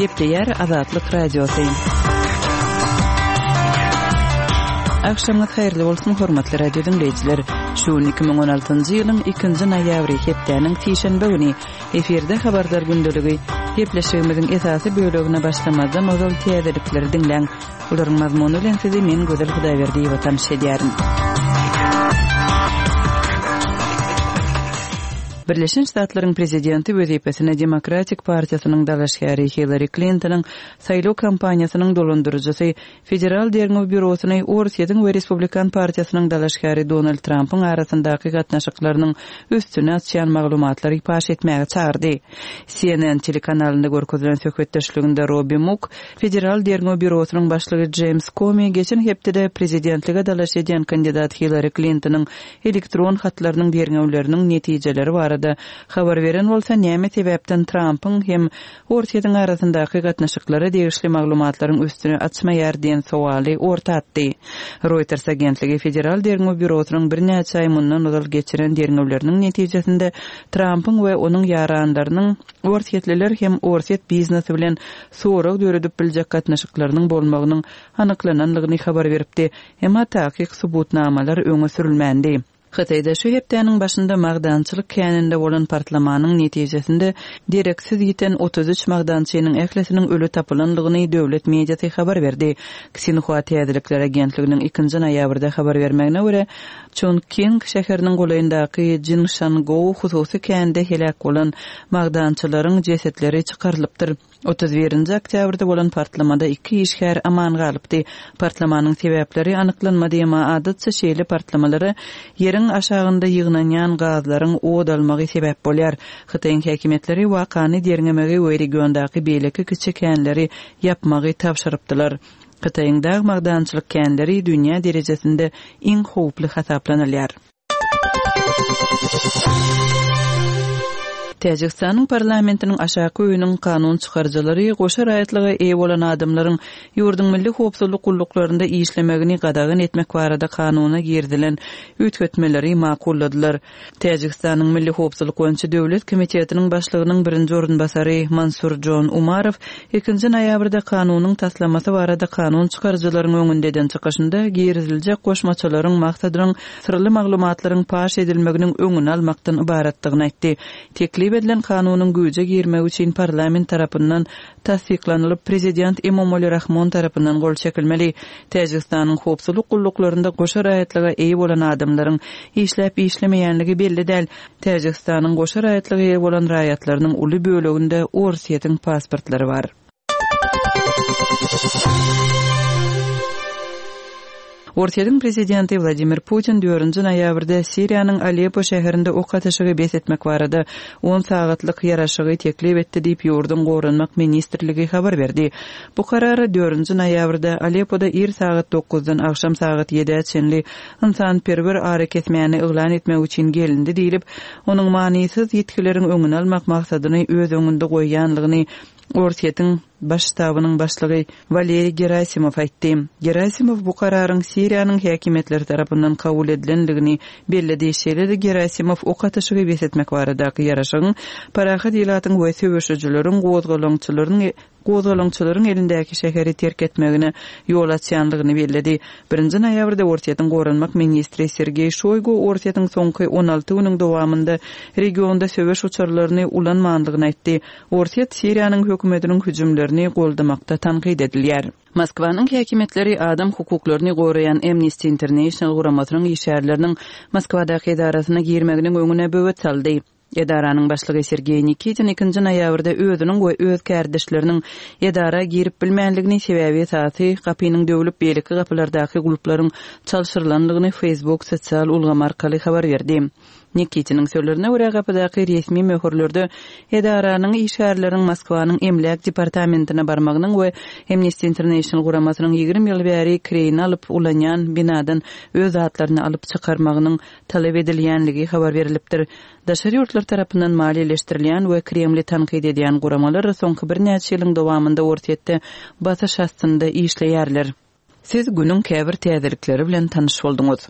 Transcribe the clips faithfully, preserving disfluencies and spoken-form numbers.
Gepleýär Azatlyk Radiosy. Agşamyňyz haýyrly bolsun, hormatly radio diňleýjiler. Şu gün iki müň on altynjy ýylyň ikinji noýabry, hepdäniň sişenbe güni. Efirde Habarlar gündeligi. Gepleşigimiziň esasy bölegine başlamazdan ozal täzelikleri diňläň. Olaryň mazmuny bilen sizi men Gözel Hudaýberdiýewa tanyş edýärin. Birleşen Ştatlaryň prezidenti wezipesine Demokratik partiýasynyň dalaşgäri Hillari Klintonyň saýlaw kampaniýasynyň dolandyryjysy Federal derňew býurosyny Orsýetiň we Respublikan partiýasynyň dalaşgäri Donald Trampyň arasyndaky gatnaşyklarynyň üstüni açýan maglumatlary paş etmäge çagyrdy. C N N telekanalynda görkezilen söhbetdeşliginde Robbi Muk, Federal derňew býurosynyň başlygy Jeýms Komi geçen hepdede prezidentlige dalaş edýän kandidat Hillari Klintonyň elektron hatlarynyň derňewleriniň netijeleri barada habar beren bolsa, näme sebäpden Trampyň hem Orsýetiň arasyndaky gatnaşyklara degişli maglumatlaryň üstüni açmaýar diýen sowaly orta atdy. Reuters agentligi Federal derňew býurosynyň birnäçe aý mundan ozal geçiren derňewleriniň netijesinde Trampyň we onuň ýaranlarynyň Orsýetliler hem Orsýet biznesi bilen sorag döredip biljek gatnaşyklarynyň bolmagynyň anyklananlygyny habar beripdi. Emma takyk subutnamalar öňe sürülmändi. Hytaýda şu hepdäniň başynda magdançylyk käninde bolan partlamanyň netijesinde dereksiz ýiten otuz üç magdançynyň ählisiniň ölü tapylanlygyny döwlet mediasy habar berdi. Xinhua Täzelikler agentliginiň ikinji noýabrda habar bermegine görä, Chongqing şäheriniň golaýyndaky Jinshanggou hususy kände heläk bolan magdançylaryň jesetleri çykarylypdyr. Otuz birinji oktýabrda bolan partlamada iki işgär aman galypdy. Partlamanyň sebäpleri anyklanmady, emma adatça şeýle partlamalara ýeriň aşagynda ýygnanýan gazlaryň od almagy sebäp bolýar. Hytaýyň häkimiýetleri wakany derňemegi we regiondaky beýleki kiçi känleri ýapmagy tabşyrypdylar. Hytaýyň dag magdançylyk känleri dünýä derejesinde iň howply hasaplanylýar. Täjikistanyň parlamentiniň aşaky öýüniň kanun çykaryjylary goşa raýatlyga eýe bolan adamlaryň ýurduň milli howpsuzlyk gulluklarynda işlemegini gadagan etmek barada kanuna girizilen üýtgetmeleri makulladylar. Täjikistanyň Milli Howpsuzlyk boýunça Döwlet komitetiniň başlygynyň birinji orunbasary Mansurjon Umarow ikinji noýabrda kanunyň taslamasy barada kanun çykaryjylaryň öňünde eden çykyşynda giriziljek goşmaçalaryň maksadynyň syrly maglumatlaryň paş edilmeginiň öňüni almakdan ybaratdygyny aýtdy. Teklip edilen kanunyň güýje girmegi üçin parlament tarapyndan tassyklanylyp prezident Emomali Rahmon tarapyndan gol çekilmeli. Täjikistanyň howpsuzlyk gulluklarynda goşa raýatlyga eýe bolan adamlaryň işläp işlemeýänligi belli däl. Täjikistanyň goşa raýatlyga eýe bolan raýatlarynyň uly böleginde Orsýetiň pasportlary bar. Orsýetiň prezidenti Wladimir Putin dördünji noýabrda Siriýanyň Aleppo şäherinde ok atyşygy bes etmek barada on sagatlyk ýaraşygy teklip etdi diýip ýurduň goranmak ministrligi habar berdi. Bu karara dördünji noýabrda Aleppoda ir sagat dokuzdan agşam sagat ýedä çenli ynsanperwer arakesmäni yglan etmek üçin gelindi diýlip, onuň manysyz ýitgileriň öňüni almak maksadyny öz öňünde goýýanlygyny Orsýetiň baş ştabynyň başlygy Waleriý Gerasimov aýtdy. Gerasimov bu kararyň Siriýanyň häkimiýetleri tarapyndan kabul edilenligini belledi. Şeýle-de Gerasimov ok atyşygy bes etmek baradaky ýaraşygyň parahat ilatyň we söweşijileriň gozgalaňçylaryň gozgalaňçylaryň elindäki şäheri terk etmegine ýol açýanlygyny belledi. Birinji noýabrda Orsýetiň goranmak ministri Sergeý Şoýgu Orsýetiň soňky on alty günüň dowamynda regionda söweş uçarlaryny ulanmanlygyny aýtdy. Orsýet Siriýanyň hökümetiniň hüjümlerini goldamakda tankyt edilýär. Moskwanyň häkimiýetleri adam hukuklaryny goraýan Amnesty International guramasynyň işgärleriniň Moskwadaky edarasyna girmeginiň öňüne böwet saldy. Edaranyň başlygy Sergeý Nikitin ikinji noýabrda özüniň we öz kärdeşleriniň edara girip bilmänligini sebäbi esasy gapynyň döwlüp beýleki gapylardaky gulplaryň çalşyrylanlygyny Facebook sosial ulgamy arkaly habar berdi. Nikitiniň sözlerine görä gapydaky resmi möhürlerde edaranyň işgärleriniň Moskwanyň emläk departamentine barmagynyň we Amnesty International guramasynyň ýigrimi ýyl bäri kireýini alyp ulanýan binadan öz zatlaryny alyp çykarmagynyň talap edilýänligi habar berilipdir. Daşary ýurtlar tarapyndan maliýeleşdirilýän we Kremli tankyt edýän guramalar soňky birnäçe ýylyň dowamynda Orsýetde basyş astynda işleýärler. Siz günüň käbir täzelikleri bilen tanyş bolduňyz.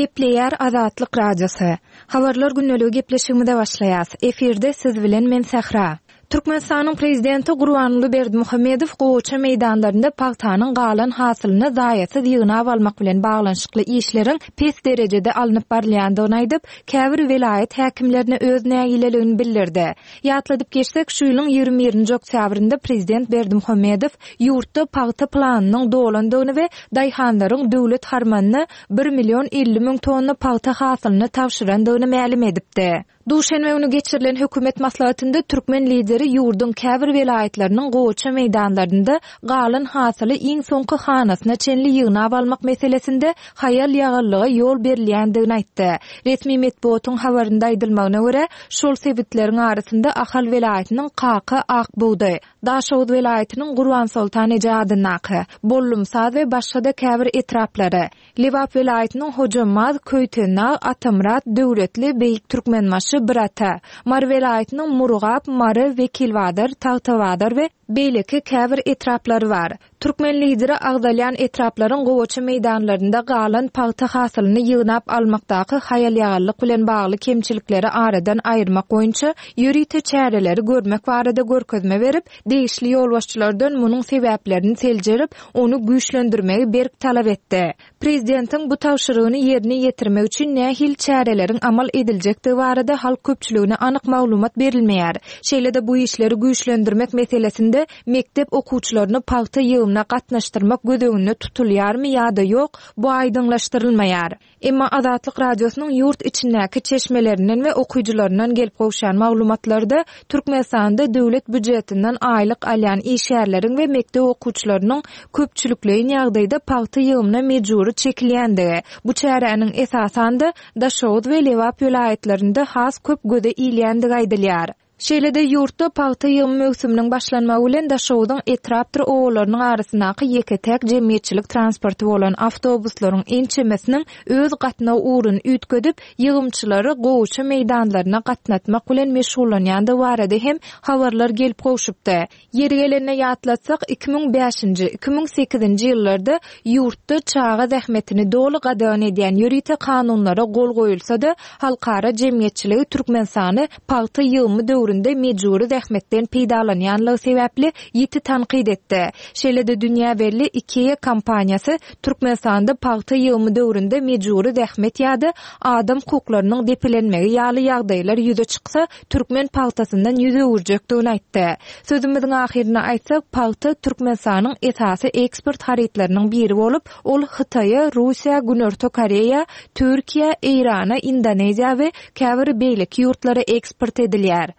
Gepleýär Azatlyk Radiosy. Habarlar gündeligi gepleşigimize başlaýas. Efirde siz bilen men Sähra. Türkmenistanyň Prezidenti Gurbanguly Berdimuhamedow gowaça meýdanlarynda pagtanyň galan hasylyny zaýasyz ýygnap almak bilen baglanyşykly işleriň pes derejede alnyp barylýandygyny aýdyp, käbir welaýat häkimlerine öz nägileligini bildirdi. Ýatladyp geçsek, şu ýylyň ýigrimi birinji oktýabrynda prezident Berdimuhamedow ýurtda pagta planynyň dolandygyny we daýhanlaryň döwlet harmanyna bir million elli müň tonna pagta hasylyny tabşyrandygyny mälim edipdi. Duşenbe güni geçirilen hökümet maslahatynda türkmen lideri ýurduň käbir welaýatlarynyň gowaça meýdanlarynda galan hasyly iň soňky hanasyna çenli ýygnap almak meselesinde haýal-ýagallyga ýol berilýändigini aýtdy. Resmi metbugatyň habarynda aýdylmagyna görä, şol sebitleriň arasynda Ahal welaýatynyň Kaka, Akbugdaý, Daşoguz welaýatynyň Gurbansoltan eje adyndaky, Bollumsaz we başga-da käbir etraplary, Lebap welaýatynyň Hojambaz, Köýtendag, Atamyrat, Döwletli, Beýik Türkmenbaşy, Birata, Mary welaýatynyň Murgap, Mary, Wekilbazar, Tagtabazar we beýleki käbir etraplary bar. Türkmen lideri agzalýan etraplaryň gowaça meýdanlarynda galan pagta hasylyny ýygnap almakdaky haýal-ýagallyk bilen bagly kemçilikleri aradan aýyrmak boýunça ýörite çäreleri görmek barada görkezme berip, degişli ýolbaşçylardan munuň sebäplerini seljerip, ony güýçlendirmegi berk talap etdi. Prezidentiň bu tabşyrygyny ýerine ýetirmek üçin nähili çäreleriň amal ediljekdigi barada halk köpçüligine anyk maglumat berilmeýär. Şeýle-de bu işleri güýçlendirmek meselesinde mekdep okuwçylaryny pagta ýygymyna gatnaşdyrmak göz öňünde tutulýarmy ýa-da ýok, bu aýdyňlaşdyrylmaýar. Emma Azatlyk Radiosynyň ýurt içindäki çeşmelerinden we okyjylaryndan gelip gowşan maglumatlarda Türkmenistanda döwlet býujetinden aýlyk alýan işgärleriň we mekdep okuwçylarynyň köpçülikleýin ýagdaýda pagta ýygymyna mejbury çekilýändigi, bu çäräniň esasan-da Daşoguz we Lebap welaýatlarynda has köp göze ilýändigi aýdylýar. Şeýle-de ýurtda pagta ýygymy möwsüminiň başlanmagy bilen Daşoguzyň etrapdyr obalarynyň arasyndaky ýeke-täk jemgyýetçilik transporty bolan awtobuslaryň ençemesiniň öz gatnaw ugruny üýtgedip, ýygymçylary gowaça meýdanlaryna gatnatmak bilen meşgullanýandygy barada hem habarlar gelip gowşupdy. Ýeri gelende ýatlatsak, iki müň bäşinji, iki müň sekizinji ýyllarda ýurtda çaga zähmetini doly gadagan edýän ýörite kanunlara gol goýulsa-da, halkara jemgyýetçiligi Türkmenistany pagta ýygymy döwründe mejbury zähmetden peýdalanýanlygy sebäpli ýiti tankyt etdi. Şeýle-de dünýä belli IKEA kompaniýasy Türkmenistanda pagta ýygymy döwründe mejbury zähmet ýa-da adam hukuklarynyň depelenmegi ýaly ýagdaýlar ýüze çyksa, türkmen pagtasyndan ýüz öwürjekdigini aýtdy. Sözümiziň ahyrynda aýtsak, pagta Türkmenistanyň esasy eksport harytlarynyň biri bolup, ol Hytaýa, Russiýa, Günorta Koreýa, Türkiýä, Eýrana, Indoneziýa we käbir beýleki ýurtlara eksport edilýär.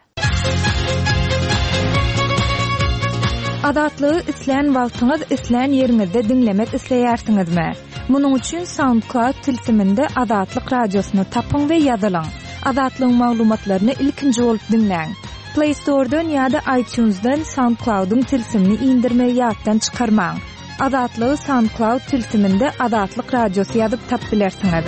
Azatlygy islän wagtyňyz, islän ýeriňizde diňlemek isleýärsiňizmi? Munuň üçin SoundCloud tilsiminde Azatlyk Radiosyny tapyň we ýazylyň. Azatlygyň maglumatlaryny ilkinji bolup diňläň. Play Store-dan ýa-da iTunes-dan SoundCloud-yň tilsimini indirmegi ýatdan çykarmaň. Azatlygy SoundCloud tilsiminde Azatlyk Radiosy ýazyp tapyp bilersiňiz.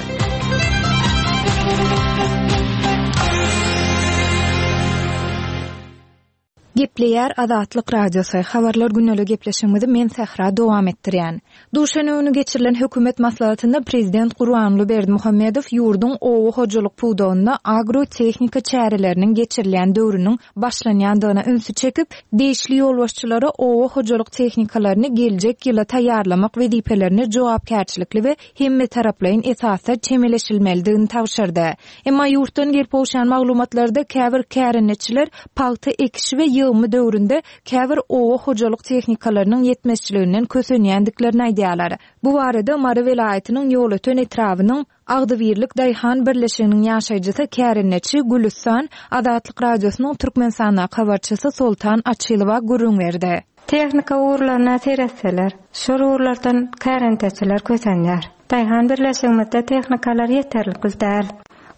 Gepleýär Azatlyk Radiosy, Habarlar gündelik gepleşigimizi men Sähra dowam etdirýän. Duşenbe güni geçirilen hökümet maslahatynda prezident Gurbanguly Berdimuhamedow ýurduň oba hojalyk pudagynda agro-tehnika çäreleriniň geçirilýän döwrüniň başlanýandygyna ünsi çekip, degişli ýolbaşçylara oba hojalyk tehnikalaryny geljek ýyla taýýarlamak wezipelerine jogapkärçilikli we hemmetaraplaýyn esasda çemeleşilmelidigini tabşyrdy. Emma ýurtdan gelip gowşan maglumatlarda käbir kärendeçiler pagta ekişi we ýygymy döwründe käbir oba hojalyk tehnikalarynyň ýetmezçiliginden kösenýändiklerini aýdýarlar. Bu barada Mary welaýatynyň Ýolöten etrabynyň Agzybirlik daýhan birleşiginiň ýaşaýjysy kärendeçi Gülüstan Azatlyk Radiosynyň Türkmenistandaky habarçysy Soltan Açylowa gürrüň berdi. Tehnika ugurlaryna seretseler, şol ugurlardan kärendeçiler kösenýär. Daýhan birleşigimizde tehnikalar ýeterlikli däl.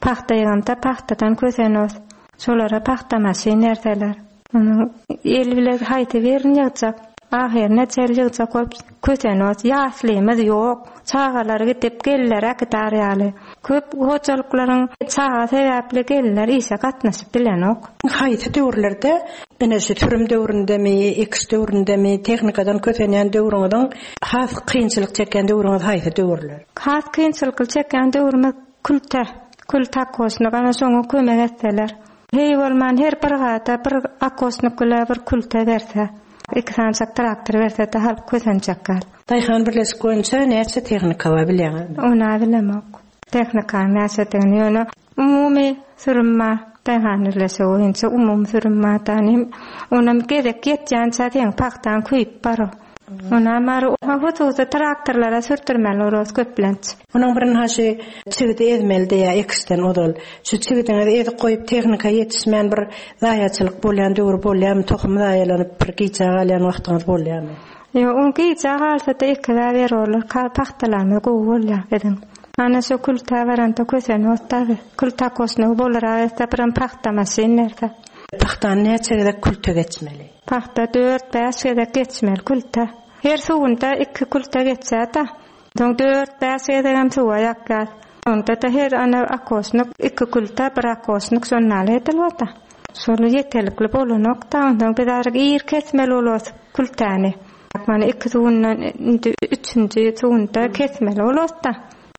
Pagta ýygymda pagtadan kösenos. Şolara pagta maşyn berseler. Onuň el bile haýsy birini ýygjak, ahyryna çel ýygjak bolup kösenos. Ýaslymyz ýok. Çagalar gidip geller äkidar ýaly. Köp hojalyklaryň çaga sebäpli geller işe gatnaşyp bilenok. Haýsy döwürlerde, ine şu sürüm döwründemi, ekiş döwründemi, tehnikadan kösenýän döwrüňiziň has kynçylyk çekýän döwrüňiz haýsy döwürler? Has kynçylyk çekýän döwrümiz Külte, külte akosnyk ana şoňa kömek etseler. Hey bolman her bir gata bir akosnyk bile bir külte berse. Iki sançak traktor berse de halk kösençek gal. Daýhan birleşik boýunça näçe tehnika bar bilýäňizmi? Ona bilemok. Tehnika näçedigini ýöne umumy sürüm bar. Daýhan birleşigi boýunça umumy sürüm bar tanim. Onam gezek ýetýänçä sen pagtan köýüp bar. Ona mar hususy traktorlara sürtürmeli oros köplenç. Onuň birin haşy çigidi ezmeli diýä ekişden ozal. Şu çigidiňizi ezip goýup tehnika ýetişmän bir zaýaçylyk bolýan döwür bolýarmy, tohum zaýalanyp bir gijä galýan wagtyňyz bolýarmy? Ýo, on gijä galsa-da iki ber olar, pagtalamy gowy bolýar biziň. Ana şu kültä baranda kösen otdagy. Kültä kosny bolar aýsa biram pagta maşyn berse. Pagtany näçe gezek külte geçmeli? Pagta dört bäş gezek geçmeli külte. Her suwunda iki külte geçýär-de. Soň dört bäş gezegem suwa ýakýar. Onda da her ana akosnyk iki külte bir akosnyk şonnaly edilip Şonu ýeterlikli bolanok da ondan biz aryk ir kesmeli bolos kültäni. Mana iki suwundan indi üçünji suwunda kesmeli bolos da.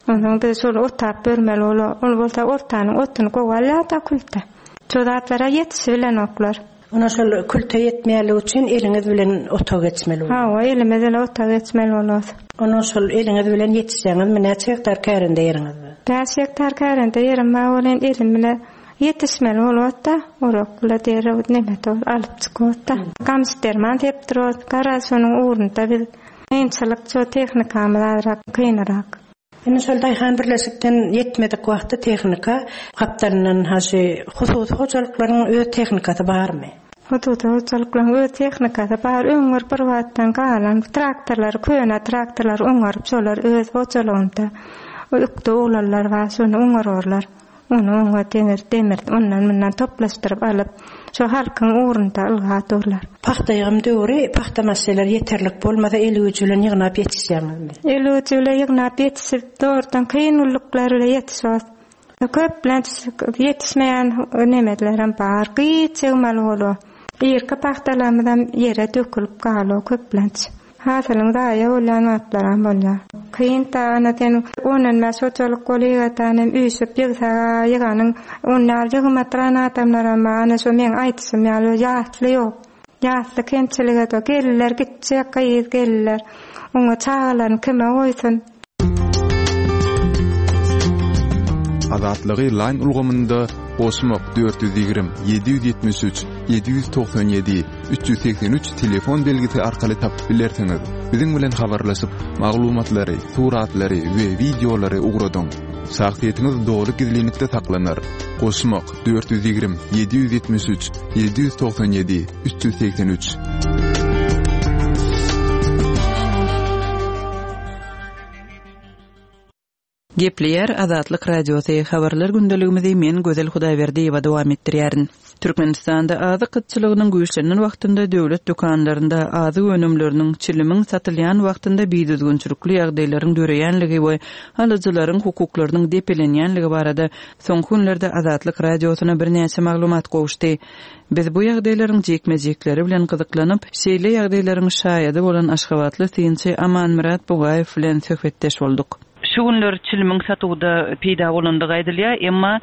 Ondan biz şonu otap bermeli bolo. Ol bolsa ortanyň otuny gowalýar da külte. Çozatlara ýetişi bilen oklar. Ona şol külte ýetmeýärligi üçin eliňiz bilen ota geçmeli bolýar. Ha, o elimiz bilen ota geçmeli bolos. Ona şol eliňiz bilen ýetişseňiz näçe hektar kärende ýeriňiz bar? Bäş hektar kärende ýerim bar, ol elim bilen ýetişmeli bolýar da, orak bile derrew neme alyp çykyp da. Gamç derman tepdir, gara şonuň ugrunda biz kynçylyk ço tehnikamyz azrak kynyrak. Indi şol Daýhan birleşikden ýetmedik wagtda tehnika gapdalyndan haşy hususy hojalyklaryň öz tehnikasy barmy? Hususy hojalyklaryň öz tehnikasy bar. Öňür bir wagtdan galan traktorlar, köne traktorlar oňaryp şolar öz hojalygynda ökde oglanlar bar, şony oňararlar. Onu oňa demir, demir ondan mundan toplaşdyryp alyp, şo halkyň ugrunda ylga durlar. Pagta ýygym döwri, pagta maşylar ýeterlik bolmasa el güýji bilen ýygnap ýetişýäňizmi? El güýji bilen ýygnap ýetişip, dogrudan kyn ulluklar bilen ýetişýär. Köplenç ýetişmeýän nemelerem bar. Gyýç ýygmaly bolýar. Irki pagtalarymyzam ýere dökülip galýar köplenç. Hasylyň zaýa bolýan wagtlaram bolýar. Kyn tagana sen ondan bäş hojalyk bolýar, tanem üýşüp ýygsaga ýyganyň onlar ýygmatran adamlaram bar. Ana şo meň aýtysym ýaly ýasly ýok. Ýasly kemçilige de gelirler, gitjek gyz gelirler. Oňa çagalaryny kime goýsun? Azatlygy line ulgamynda goşmak dört ýüz ýigrimi, ýedi ýüz ýetmiş üç, ýedi ýüz togsan ýedi, üç ýüz segsen üç telefon belgisi arkaly tapyp bilersiňiz. Biziň bilen habarlaşyp, maglumatlary, suratlary we wideolary ugradyň. Şahsyýetiňiz dogry gizlinlikde saklanar. Goşmak dört ýüz ýigrimi, ýedi ýüz ýetmiş üç, ýedi ýüz togsan ýedi, üç ýüz segsen üç. Gepleýär Azatlyk Radiosy habarlar gündeligimizi men Gözel Hudaýberdiýewa dowam etdirýärin. Türkmenistanda azyk gytçylygynyň güýçlenen wagtynda döwlet dükanlarynda azyk önümleriniň çilimiň satylýan wagtynda bidüzgünçilikli ýagdaýlaryň döreýänligi we alyjylaryň hukuklarynyň depelenýänligi barada soňky günlerde Azatlyk Radiosyna birnäçe maglumat gowuşdy. Biz bu ýagdaýlaryň jikme-jikleri bilen gyzyklanyp, şeýle ýagdaýlaryň şaýady bolan Aşgabatly synçy Amanmyrat Bugaýew bilen söhbetdeş bolduk. Şu günler çilimiň satuwda peýda bolandygy aýdylýar, emma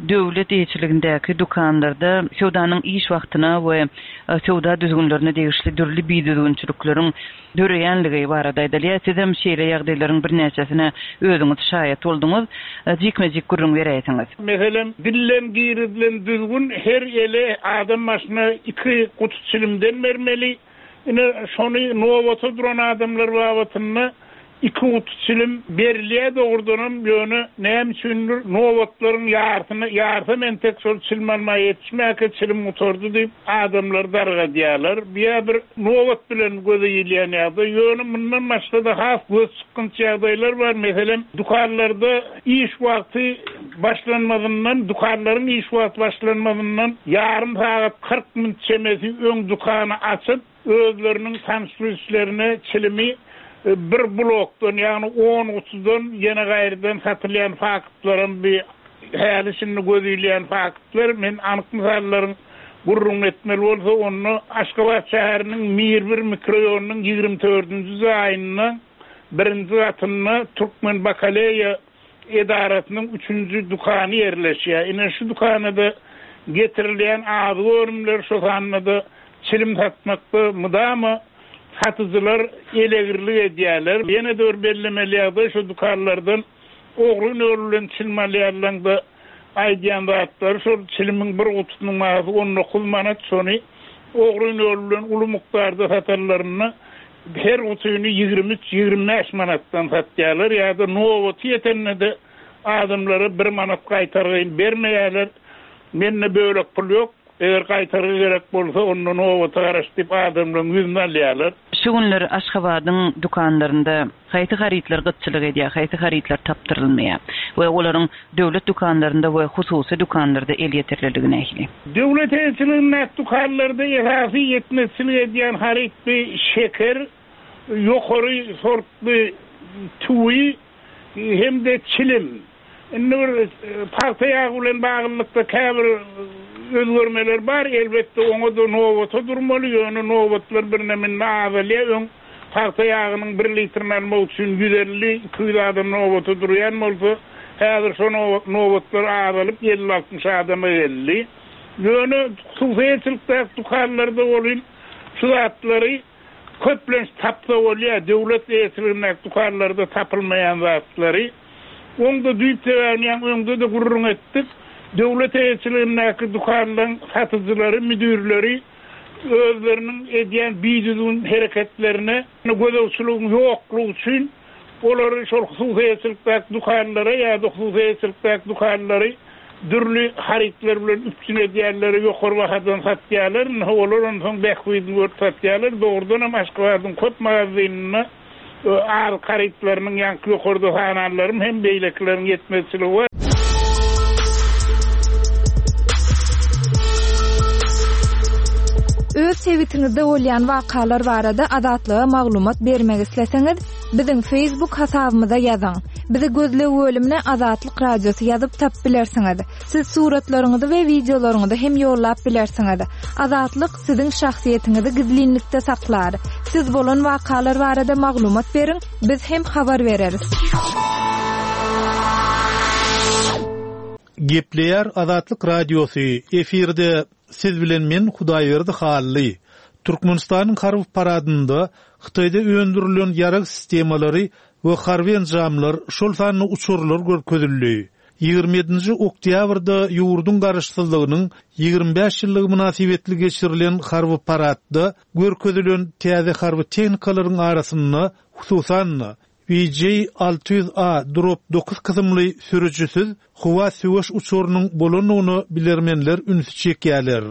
döwlet eýeçiligindäki dükanlarda söwdanyň iş wagtyna we söwda düzgünlerine degişli dürli bidüzgünçilikleriň döreýänligi barada aýdylýar. Sizem şeýle ýagdaýlaryň birnäçesine özüňiz şaýat bolduňyz. Jikme-jik gürrüň beräýsiňiz. Meselem, dillen girizilen düzgün her ele adam başyna iki guty çilimden bermeli. Ine şony nowata duran adamlar babatynda iki guty çilim berilýär dogrudanam, ýöne näme üçindir nobatlaryň ýarsyny ýarsa men tek şol çilim almaga ýetişmäkä çilim gutardy diýip adamlar dargadýarlar. Biýa bir nobat bilen göze ilýän ýagdaý, ýöne mundan başga-da has göz çykgynç ýagdaýlar bar. Meselem, dükanlarda iş wagty başlanmazyndan, dükanlaryň iş wagty başlanmazyndan ýarym sagat kyrk minut çemesi öň dükany açyp, özleriniň tanyş-bilişlerine çilimi bir blokdan, ýagny on gutudan ýene gaýrydan satylýan faktlaram bir häli şindi göz ilýän faktlar. Men anyk mysallaryň gürrüň etmeli bolsa, onda Aşgabat şäheriniň Mir bir mikroýonynyň ýigrimi dördünji jaýynda birinji gatynda Türkmen bakaleýa edarasynyň üçünji dükany ýerleşýär. Ine şu dükanada getirilýän azyk önümler şo sanda çilim satmakda mydama satyjylar elegirlik edýärler. Ýene de bir bellemeli ýagdaý şu dükanlardan ogryn ýol bilen çilim alýarlaryň-da aýdýan zatlary şol çilimiň bir gutusynyň bahasy on dokuz manat, şony ogryn ýol bilen uly mukdarda satanlarynda her gutyny ýigrimi üç, ýigrimi bäş manatdan satýarlar ýa-da nobaty ýetende-de adamlara bir manat gaýtargyny bermeýärler. Mende bölek pul ýok. Eger gaýtargy gerek bolsa, onda nobata garaş diýip adamlaryň ýüzüni alýarlar. Şu günler Aşgabadyň dükanlarynda haýsy harytlar gytçylyk edýär, haýsy harytlar tapdyrylmaýar we olaryň döwlet dükanlarynda we hususy dükanlarda elýeterliligi nähili? Döwlet eýeçiligindäki dükanlarda esasy ýetmezçilik edýän haryt bir şeker, ýokary sortly tüwi hem-de çilim. Indi bir pagta ýagy bilen baglylykda käbir özgermeler bar. Elbetde oňa-da nobata durmaly, ýöne nobatlar birneme azalýar. Öň pagta ýagynyň bir litrini almak üçin ýüz elli, iki ýüz adam nobata durýan bolsa, häzir şo nobatlar azalyp elli altmyş adama geldi. Ýöne hususyýetçilikdäki dükanlarda bolýan şu zatlary köplenç tapsa bolýar. Döwlet eýeçiligindäki dükanlarda tapylmaýan zatlary. Onda düýp sebäbini ýaňy öňde-de gürrüň etdik. Döwlet eýeçiligindäki dükanlaryň satyjylary, müdürleri özleriniň edýän bidüzgün hereketlerine gözegçiligiň ýoklugy üçin olary şol hususyýetçilikdäki dükanlara ýa-da hususyýetçilikdäki dükanlary dürli harytlar bilen üpjün edýärler, ýokary bahadan satýarlar. Indi olar onsoň bähbidini görüp satýarlar. Dogrudan hem Aşgabadyň köp magazynynda azyk harytlarynyň ýaňky ýokarda sananlarym hem beýlekileriň ýetmezçiligi bar. Öz sebitiňizde bolýan wakalar barada Azatlyga maglumat bermek isleseňiz, biziň Facebook hasabymyza ýazyň. Bizi gözleg bölümine Azatlyk Radiosy ýazyp tap bilersiňiz. Siz suratlaryňyzy we wideolaryňyzy hem ýollap bilersiňiz. Azatlyk siziň şahsyýetiňizi gizlinlikde saklar. Siz bolan wakalar barada maglumat beriň, biz hem habar bereris. Gepleýär Azatlyk Radiosy efirde siz bilen men Hudaýberdi Hally. Türkmenistanyň harby paradynda Hytaýda öndürilen ýarag sistemalary we harby enjamlar, şol sanda uçarlar görkezildi. Ýigrimi ýedinji oktýabrda ýurduň garaşsyzlygynyň ýigrimi bäş ýyllygy mynasybetli geçirilen harby paradda görkezilen täze harby tehnikalaryň arasynda hususan-da V J alty ýüz A drop dokuz kysymly sürüjisiz howa söweş uçarynyň bolandygyna bilermenler ünsi çekýärler.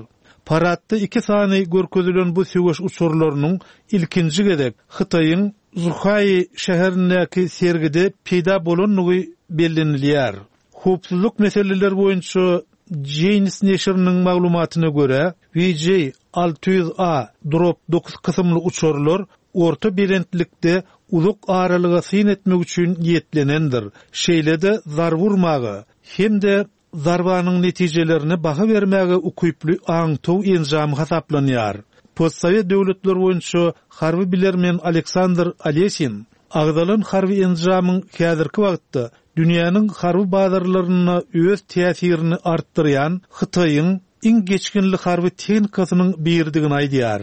Paradda iki sany görkezilen bu söweş uçarlarynyň ilkinji gezek Hytaýyň Zhuhai şäherindäki sergide peýda bolandygy bellenilýär. Howpsuzlyk meseleleri boýunça Janes neşiriniň maglumatyna görä, V J alty ýüz A drop dokuz kysymly uçarlar orta belentlikde uzak aralyga syn etmek üçin niýetlenendir. Şeýle-de zarba urmaga hem-de zarbanyň netijelerine baha bermäge ukyply aňtaw enjamy hasaplanýar. Postsovet döwletleri boýunça harby bilermen Aleksandr Alesin agzalan harby enjamyň häzirki wagtda dünýäniň harby bazarlarynda öz täsirini artdyrýan Hytaýyň iň geçginli harby tehnikasynyň biridigini aýdýar.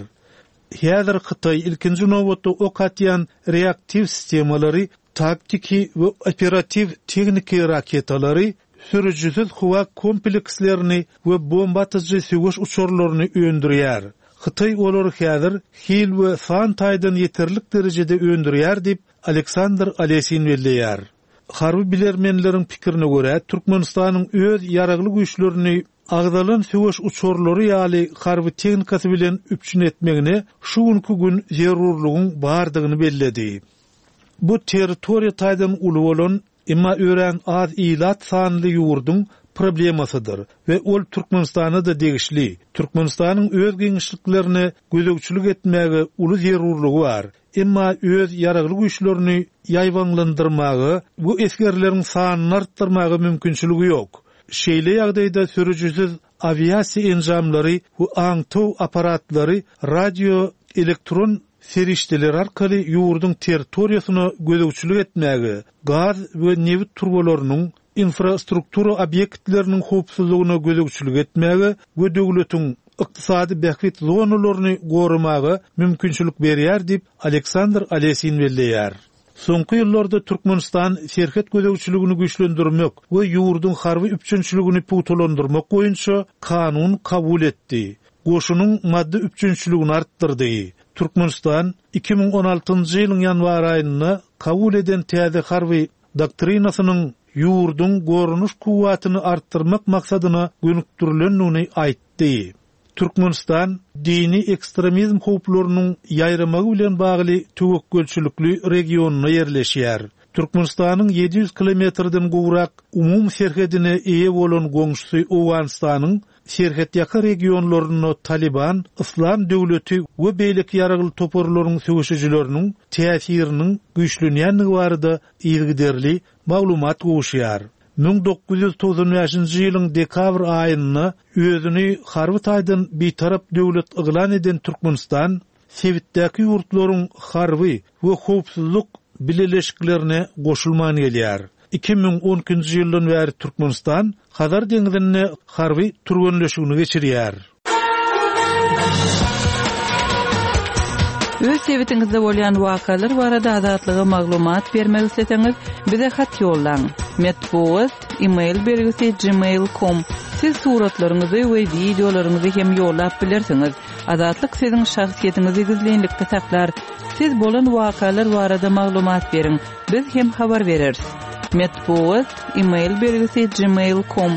Häzir Hytaý ilkinji nobatda ok atýan reaktiw sistemalary, taktiki we operatiw tehniki raketalary, sürüjisiz howa komplekslerini we bomba atyjy söweş uçarlaryny öndürýär. Hytaý olary häzir hil we san taýdan ýeterlik derejede öndürýär diýip Aleksandr Alesin belleýär. Harby bilermenleriň pikirine görä, Türkmenistanyň öz ýaragly güýçlerini agzalan söweş uçarlary ýaly harby tehnikasy bilen üpjün etmegine şu günki gün zerurlygyň bardygyny belledi. Bu territoriýa taýdan uly bolan, emma öýren az ilat sanly ýurduň problemasydyr we ol Türkmenistana da degişli. Türkmenistanyň öz giňişliklerine gözegçilik etmäge uly zerurlygy bar. Emma öz ýaragly güýçlerini ýaýbaňlandyrmaga bu esgerleriň sanyny artdyrmaga mümkinçiligi ýok. Şeýle ýagdaýda sürüjisiz awiasiýa enjamlary we aňtaw aparatlary, radio, elektron serişdeleri arkaly ýurduň territoriýasyna gözegçilik etmäge, gaz we nebit turbalarynyň infrastruktura obýektleriniň howpsuzlygyna gözegçilik etmäge we döwletiň ykdysady bähbit zonalaryny goramaga mümkinçilik berýär diýip Aleksandr Alesin belleýär. Soňky ýyllarda Türkmenistan serhet gözegçiligini güýçlendirmek we ýurduň harby üpjünçiligini pugtalandyrmak boýunça kanun kabul etdi. Goşunyň maddy üpjünçiligini artdyrdy. Türkmenistan iki müň on altynjy ýylyň ýanwar aýynda kabul eden täze harby doktrinasynyň ýurduň goranyş kuwwatyny artdyrmak maksadyna gönükdirilendigini aýtdy. Türkmenistan dini ekstremizm howplarynyň ýaýramagy bilen bagly töwekgelçilikli regionyna ýerleşýär. Türkmenistanyň ýedi ýüz kilometrden gowrak umum serhedine eýe bolan goňşusy Owganystanyň serhetýaka regionlarynda Taliban, Islam döwleti we beýleki ýaragly toparlaryň söweşijileriniň täsiriniň güýçlenýändigi barada yzygiderli maglumat gowuşýar. Müň dokuz ýüz togsan bäşinji ýylyň dekabr aýynda özüni harby taýdan bitarap döwlet yglan eden Türkmenistan sebitdäki ýurtlaryň harby we howpsuzlyk bileleşiklerine goşulman gelýär. Iki müň on ikinji ýyldan bäri Türkmenistan Hazar deňzinde harby türgenleşigini geçirýär. Öz sebitiňizde bolýan wakalar barada Azatlyga maglumat bermek isleseňiz, bize hat ýollaň. Metbugat, e-mail belgisi gmail nokta com. Siz suratlaryňyzy we wideolaryňyzy hem ýollap bilersiňiz. Azatlyk siziň şahsyýetiňizi gizlinlikde saklar. Siz bolan wakalar barada maglumat beriň. Biz hem habar bereris. Metbugat, e-mail belgisi gmail nokta com.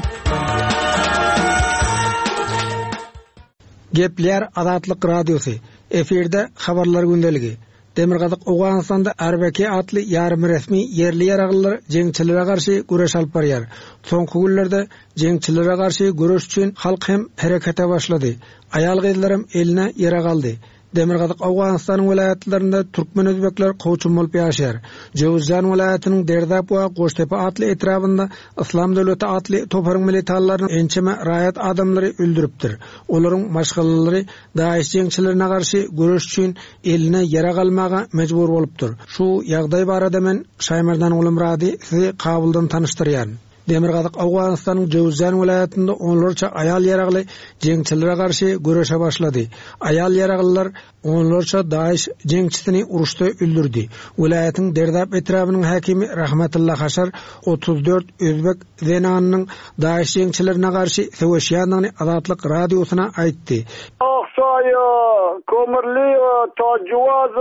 Gepler Azatlyk Radiosy. Efirde habarlar gündeligi. Demirgazyk Owganystanda R B K atly ýarym resmi ýerli ýaraglylar jeňçilere garşy güreş alyp barýar. Soňky günlerde jeňçilere garşy güreş üçin halk hem herekete başlady. Aýal gyzlarym eline ýere galdy. Demirgazyk Owganystanyň welaýatlarynda türkmen özbekler kowçum bolup ýaşaýar. Jöwüzjan welaýatynyň Derdap we Goştepe atly etrabynda Islam döwleti atly toparyň militanlarynyň ençeme raýat adamlary öldüripdir. Olaryň maşgalalary DAEŞ jeňçilerine garşy güreş üçin eline ýere galmaga mejbur bolupdyr. Şu ýagdaý barada men Şaýmerdan Gulumrady sizi Kabuldan tanyşdyrýan. Demirgazyk Owganystanyň Jöwüzjan welaýatynda onlarça aýal ýaragly jeňçilere garşy güreşe başlady. Aýal ýaraglylar onlarça DAEŞ jeňçisini uruşda öldürdi. Welaýatyň Derdap etrabynyň häkimi Rahmetulla Haşar otuz dört özbek zenanynyň DAEŞ jeňçilerine garşy söweşýändigini Azatlyk radiosyna aýtdy. Aksaý, Kömürli, Tajuwaz,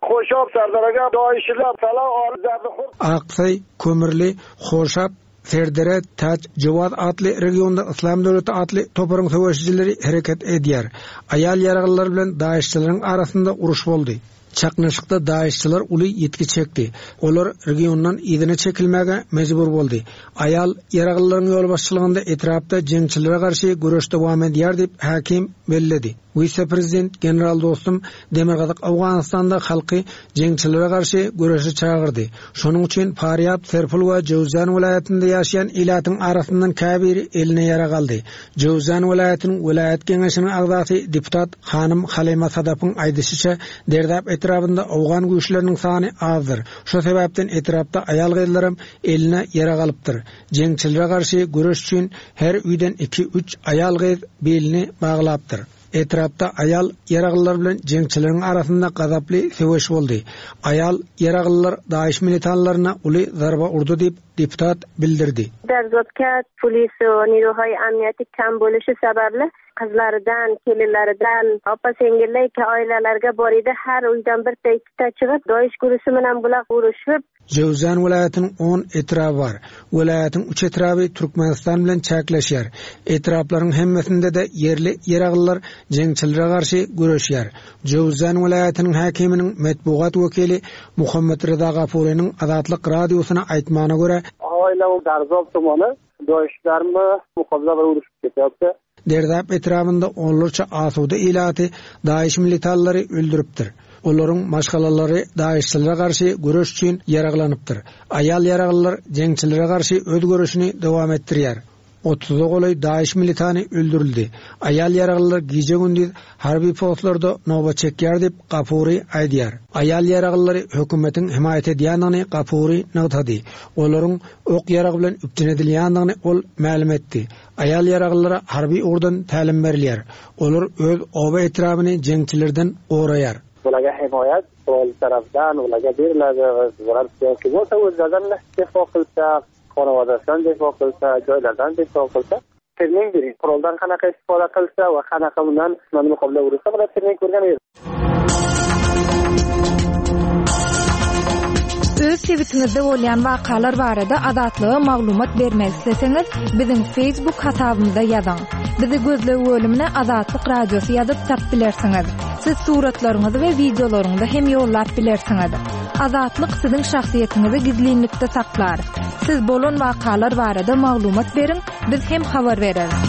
Hoşap, Serdaraga, DAEŞ'ler, Salah, Aksaý, Kömürli, Hoşap, Serdere, Taç, Jawaz atly regionda Islam döwleti atly toparyň söweşijileri hereket edýär. Aýal ýaraglylar bilen DAEŞ'çileriň arasynda uruş boldy. Çaknyşykda DAEŞ'çiler uly ýitgi çekdi. Olar regiondan yzyna çekilmäge mejbur boldy. Aýal ýaraglylaryň ýolbaşçylygynda etrapda jeňçilere garşy güreş dowam edýär diýip häkim belledi. Wise-prezident General Dostum Demirgazyk Owganystanda halky jeňçilere garşy güreşe çagyrdy. Şonuň üçin Faryab, Serpul we Jöwüzjan welaýatynda ýaşaýan ilatyň arasyndan käbiri eline ýara galdy. Jöwüzjan welaýatynyň welaýat geňeşiniň agzasy deputat Hanym Halima Sadapyň aýdyşyça Derdap etrabynda Owgan güýçleriniň sany azdyr. Şo sebäpden etrapda aýal gyzlaram eline ýara galypdyr. Jeňçilere garşy güreş üçin her öýden iki-üç aýal gyz belini baglapdyr. Etrapda aýal ýaraglylar bilen jeňçileriň arasynda gazaply söweş boldy. Aýal ýaraglylar DAEŞ militanlaryna uly zarba urdy diýip deputat bildirdi. Derzotkat polis we niruhay amniyeti kam bo'lishi sababli qizlaridan, kelinlaridan, opa-singillar oilalarga bor edi. Har uydan bitta ikkita chiqib, DAEŞ guruhi bilan bular urushib. Jöwüzjan welaýatynyň on etraby bar. Welaýatyň üç etraby Türkmenistan bilen çäkleşýär. Etraplaryň hemmesinde de ýerli ýaraglylar jeňçilere garşy güreşýär. Jöwüzjan welaýatynyň häkiminiň metbugat wekili Muhammet Reza Gafurynyň Azatlyk radiosyna aýtmagyna görä, Oila Darzob tumany DAEŞ'larmy muqabila bilan urushib ketyapti. Derdap etrabynda onlarça asuda ilaty DAEŞ militanlary öldüripdir. Olaryň maşgalalary DAEŞ'çilere garşy güreş üçin ýaraglanypdyr. Aýal ýaraglylar jeňçilere garşy öz göreşini dowam etdirýär. Otuza golaý DAIŞ militany öldürildi. Aýal ýaraglylar gije-gündiz harby postlarda nobat çekýär diýip Gafuri aýdýar. Aýal ýaraglylary hökümetiň himaýat edýändigini Gafuri nygtady. Olaryň ok ýarag bilen üpjün edilýändigini ol mälim etdi. Aýal ýaraglylara harby ugurdan tälim berilýär. Olar öz oba etrapyny jeňçilerden goraýar. Ularga himoyat qurol tarafdan ularga beriladi ular yoki bo'lsa o'zlaridan difo qilsa, xonavodasidan difo qilsa, joylardan difo qilsa, trening bering. Quroldan qanaqa istifoda qilsa va qanaqa undan muqobila ursa, bular trening ko'rgan edi. Öz sebitiňizde bolýan wakalar barada Azatlyga maglumat bermek isleseňiz, biziň Facebook hasabymyza ýazyň. Bizi gözleg bölümine Azatlyk Radiosy ýazyp tap bilersiňiz. Siz suratlaryňyzy we wideolaryňyzy hem ýollap bilersiňiz. Azatlyk siziň şahsyýetiňizi gizlinlikde saklar. Siz bolan wakalar barada maglumat beriň, biz hem habar bereris.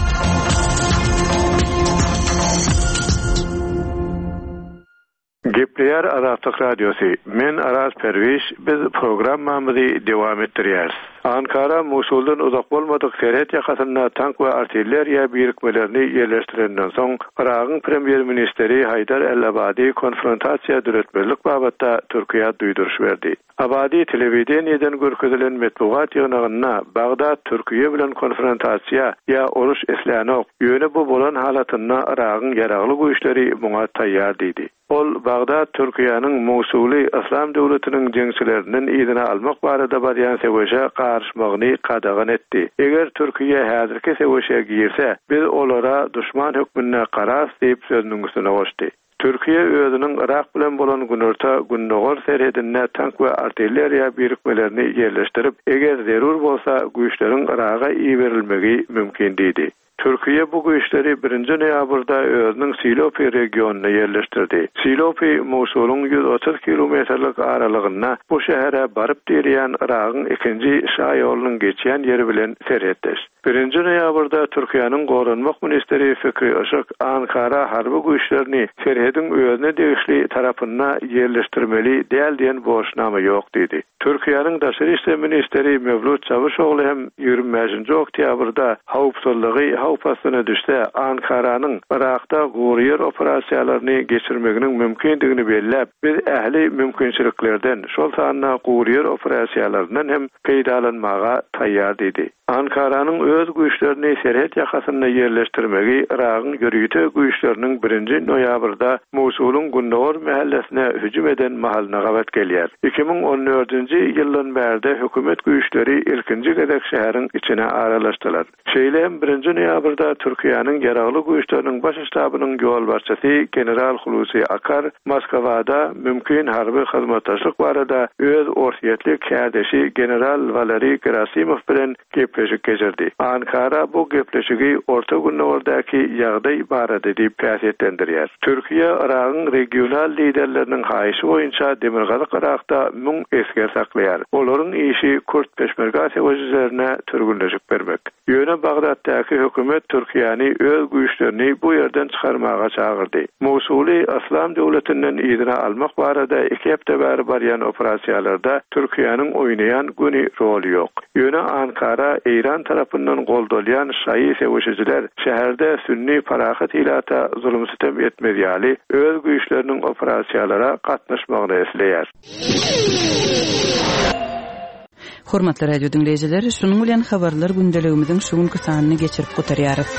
Gepleýär Azatlyk Radiosy. Men Araz Perwiş, biz programmamyzy dowam etdirýäris. Ankara Musuldan uzak bolmadyk serhet ýakasynda tank we artilleriýa birikmelerini ýerleşdirenden soň, Yragyň premýer-ministri Haýdar El-Abadi konfrontasiýa döretmezlik babatda Türkiýä duýduryş berdi. Abadi telewideniýeden görkezilen metbugat ýygnagynda Bagdat Türkiýe bilen konfrontasiýa ýa uruş islänok, ýöne bu bolan halatynda Yragyň ýaragly güýçleri muňa taýýar diýdi. Ol Bagdat Türkiýäniň Musuly Yslam döwletiniň jeňçilerinden yzyna almak barada barýan söweşe garyşmagyny gadagan etdi. Eger Türkiýe häzirki söweşe girse, biz olara duşman hökmünde garas diýip sözüniň üstüne goşdy. Türkiýe özüniň Yrak bilen bolan günorta gündogar serhedinde tank we artilleriýa birikmelerini ýerleşdirip, eger zerur bolsa güýçleriň Yraga iberilmegi mümkin diýdi. Türkiýe bu güýçleri birinji noýabrda özüniň Silopi regionyna ýerleşdirdi. Silopi Musulyň ýüz otuz kilometrlik aralygynda bu şähere baryp direýän Yragyň ikinji şaýolunyň geçýän ýeri bilen serhetdeş. Birinji noýabrda Türkiýäniň goranmak ministri Fikri Işık Ankara harby güýçlerini serhediň özüne degişli tarapynda ýerleşdirmeli däl diýen borçnama ýok diýdi. Türkiýäniň daşary işler ministri Mevlut Çavuşoğlu hem ýigrimi bäşinji oktýabrda howpsuzlygy howp astyna düşse Ankaranyň Yrakda gury ýer operasiýalaryny geçirmeginiň mümkindigini belläp, biz ähli mümkinçiliklerden, şol sanda gury ýer operasiýalaryndan hem peýdalanmaga taýýar diýdi. Ankaranyň öz güýçlerini serhet ýakasynda ýerleşdirmegi Yragyň ýörite güýçleriniň birinji noýabrda Musulyň gündogar mähellesine hüjüm eden mahalyna gabat gelýär. Iki müň on dördünji ýyldan bärde hökümet güýçleri ilkinji gezek şäheriň içine aralaşdylar. Şeýle hem birinji noýabrda Türkiýäniň ýaragly güýçleriniň baş ştabynyň ýolbaşçysy General Hulusi Akar Moskwada mümkin harby hyzmatdaşlyk barada öz orsýetli kärdeşi General Valeri Gerasimov bilen gepleşik geçirdi. Ankara bu gepleşigi Orta Gündogardaki ýagdaý barada diýip häsiýetlendirýär. Türkiýe Yragyň regional liderleriniň haýyşy boýunça Demirgazyk Yrakda müň esger saklaýar. Olaryň işi Kürt peşmerga söweşijilerine türgünleşik bermek. Ýöne Bagdatdaky hökümet Türkiýäni öz güýçlerini bu ýerden çykarmaga çagyrdy. Musuly Yslam döwletinden yzyna almak barada iki hepde bäri barýan operasiýalarda Türkiýäniň oýnaýan göni roly ýok. Ýöne Ankara Eýran tarapyndan goldalýan şaýy söweşijiler şäherde sünni parahat ilata zulum sütem etmez ýaly öz güýçleriniň operasiýalara gatnaşmagyny isleýär. Hormatly radio dinleýjiler, şunuň bilen habarlar gündeligimiziň şu günki sanyny geçirip gutarýarys.